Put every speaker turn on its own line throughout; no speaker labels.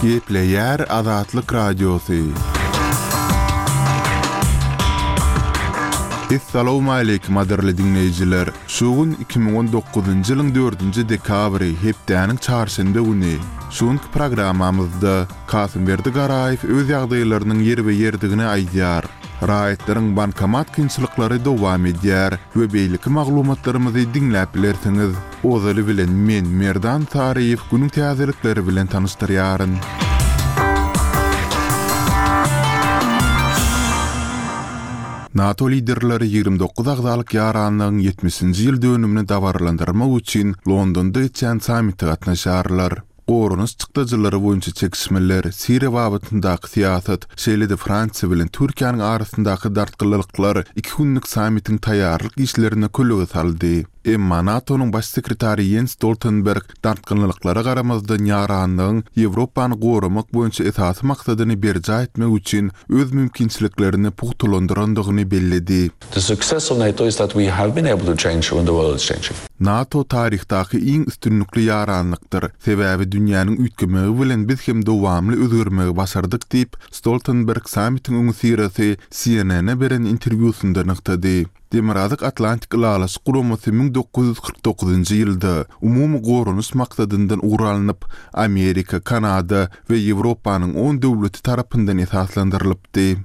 Gepleýär Azatlyk Radiosy. Essalawmaleýkim gadyrly diňleýjiler! Şu gün 2019-njy ýylyň dördünji dekabry, hepdäniň çarşenbe güni. Şu günki programmamyzda Kasymberdi Garaýew öz ýagdaýlarynyň ýerbe-ýerdigini aýdýar. Raýatlaryň bankomat kynçylyklary dowam edýär we beýleki maglumatlarymyzy diňläp bilersiňiz. Ozaly bilen men, Merdan Saryýew günüň täzelikleri bilen tanyşdyrýaryn. NATO liderleri 29 agzalyk ýaranlygyň ýetmişinji ýyl dönümini dabaralandyrmak üçin Londonda geçýän sammite gatnaşarlar. Goranyş çykdajylary boýunça çekişmeler, Siriýa babatyndaky syýasat, şeýle-de Fransiýa bilen Türkiýäniň arasyndaky dartgynlylyklar iki günlük sammitiň taýýarlyk işlerine kölege saldy. Emma NATO-nyň Baş sekretary Ýens Stoltenberg dartgynlylyklara garamazdan ýaranlygyň Ýewropany goramak boýunça esasy maksadyny berjaý etmek üçin öz mümkinçiliklerini pugtalandyrandygyny belledi.
The success of NATO is that we have been able to change when the world is changing.
NATO taryhdaky iň üstünlikli ýaranlykdyr, sebäbi dünýäniň üýtgemegi bilen biz hem dowamly özgermegi başardyk diýip, Stoltenberg sammitiň öňüsyrasy CNN-e beren interwýusynda nygtady. Demirgazyk Atlantik Ylalaşyk Guramasy 1949-njy ýylda umumy goranyş maksadyndan ugur alnyp, Amerika, Kanada we Ýewropanyň on döwleti tarapyndan esaslandyrylypdy.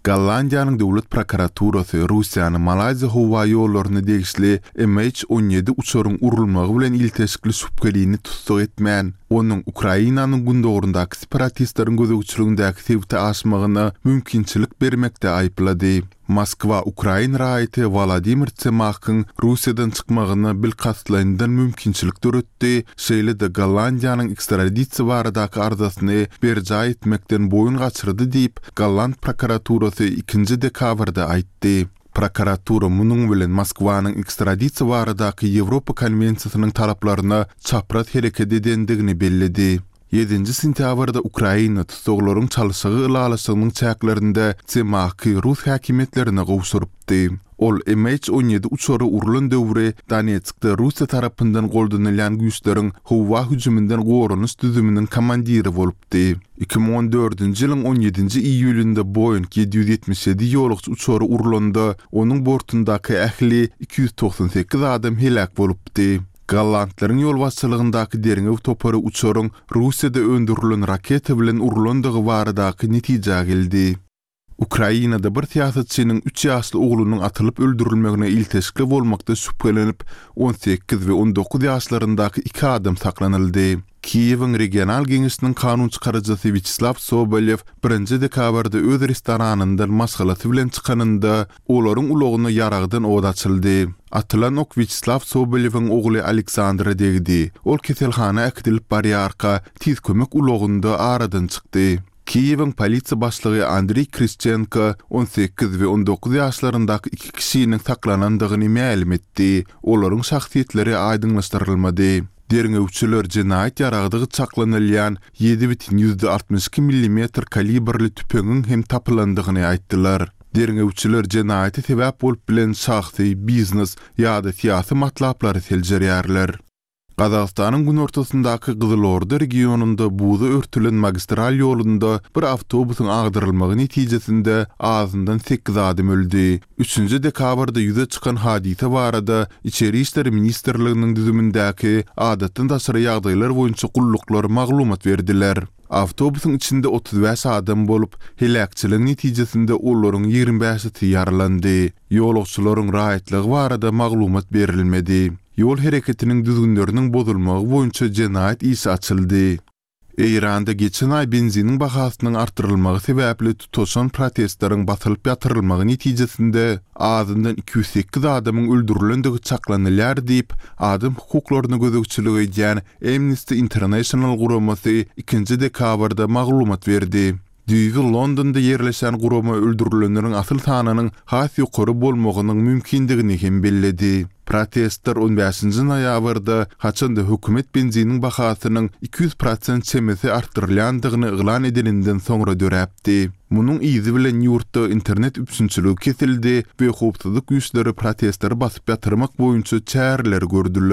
Gollandiýanyň döwlet prokuraturasy Russiýany Malaýziýa howa ýollaryna degişli MH 17 uçaryň urulmagy bilen ilteşikli şübhelini tussag etmän, onuň Ukrainanyň gündogaryndaky separatistleriň gözegçiligindäki sebite aşmagyna mümkinçilik bermekde aýyplady. Moskwa ukrain raýaty Wolodymyr Tsemakhyň Russiýadan çykmagyna bilkastlaýyndan mümkinçilik döretdi, şeýle-de Gollandiýanyň ekstradisiýa baradaky arzasyny berjaý etmekden boýun gaçyrdy diýip, golland prokuraturasy ikinji dekabrda aýtdy. Prokuratura munuň bilen Moskwanyň ekstradisiýa baradaky Ýewropa konwensiýasynyň talaplaryna çapraz hereket edendigini belledi. Ýedinji sentýabrda Ukraina tussaglaryň çalşygy ylalaşygynyň çäklerinde Tsemakhy rus häkimiýetlerine gowşurypdy. Ol MH 17 uçary urlan döwri Donetskde Russiýa tarapyndan goldanylýan güýçleriň howa hüjüminden goranyş düzüminiň komandiri bolupdy. 2014-nji ýylyň on ýedinji iýulynda Boeing 777 ýolagçy uçary urlanda, onuň bortundaky ähli 298 adam heläk bolupdy. Gollandlaryň ýolbaşçylygyndaky derňew topary uçaryň Russiýada öndürilen raketa bilen urlandygy baradaky netijä geldi. Ukrainada bir syýasatçynyň üç ýaşly oglunyň atylyp öldürilmegine ilteşikli bolmakda şübhelenip, 18 we 19 ýaşlaryndaky iki adam saklanyldy. Kiýewiň regional geňeşiniň kanun çykaryjysy Wýaçeslaw Sobolýew birinji dekabrda öz restoranyndan maşgalasy bilen çykanynda, olaryň ulagyna ýaragdan ot açyldy. Atylan ok Wýaçeslaw Sobolýewiň ogly Aleksandra degdi. Ol keselhana äkidilip barýarka, tiz kömek ulagynda aradan çykdy. Kiýewiň polisiýa başlygy Andriý Krişçenko 18 we 19 ýaşlaryndaky iki kişiniň saklanandygyny mälim etdi. Olaryň şahsyýetleri aýdyňlaşdyrylmady. Derňewçiler jenaýat ýaragdygy çaklanylýan 7,62 millimetr kalibrli tüpeňiň hem tapylandygyny aýtdylar. Derňewçiler jenaýata sebäp bolup bilen şahsy, biznes ýa-da syýasy matlaplary seljerýärler. Gazagystanyň günortasyndaky Gyzylorda regionynda buza örtülen magistral ýolunda bir awtobusyň agdarylmagy netijesinde azyndan sekiz adam öldi. Üçünji dekabrda ýüze çykan hadysa barada Içeri işler ministrliginiň düzümindäki Adatdan daşary ýagdaýlar boýunça gulluklar maglumat berdiler. Awtobusyň içinde 35 adam bolup, heläkçiligiň netijesinde olaryň ýigrimi bäşisi ýaralandy. Ýolagçylaryň raýatlygy barada maglumat berilmedi. Ýol hereketiniň düzgünleriniň bozulmagy boýunça jenaýat işi açyldy. Eýranda geçen aý benziniň bahasynyň artdyrylmagy sebäpli tutaşan protestleriň basylyp ýatyrylmagy netijesinde azyndan 208 adamyň öldürilendigi çaklanylýar diýip, adam hukuklaryna gözegçilik edýän Amnesty International guramasy ikinji dekabrda maglumat berdi. Düýbi Londonda ýerleşen gurama öldürilenleriň asyl sanynyň has ýokary bolmagynyň mümkindigini hem belledi. Protestler on bäşinji noýabrda, haçan-da hökümet benziniň bahasynyň 200 prosent çemesi artdyrylýandygyny yglan edeninden soňra döräpdi. Munuň yzy bilen ýurtda internet üpjünçiligi kesildi we howpsuzlyk güýçleri protestleri basyp ýatyrmak boýunça çäreleri gördüler.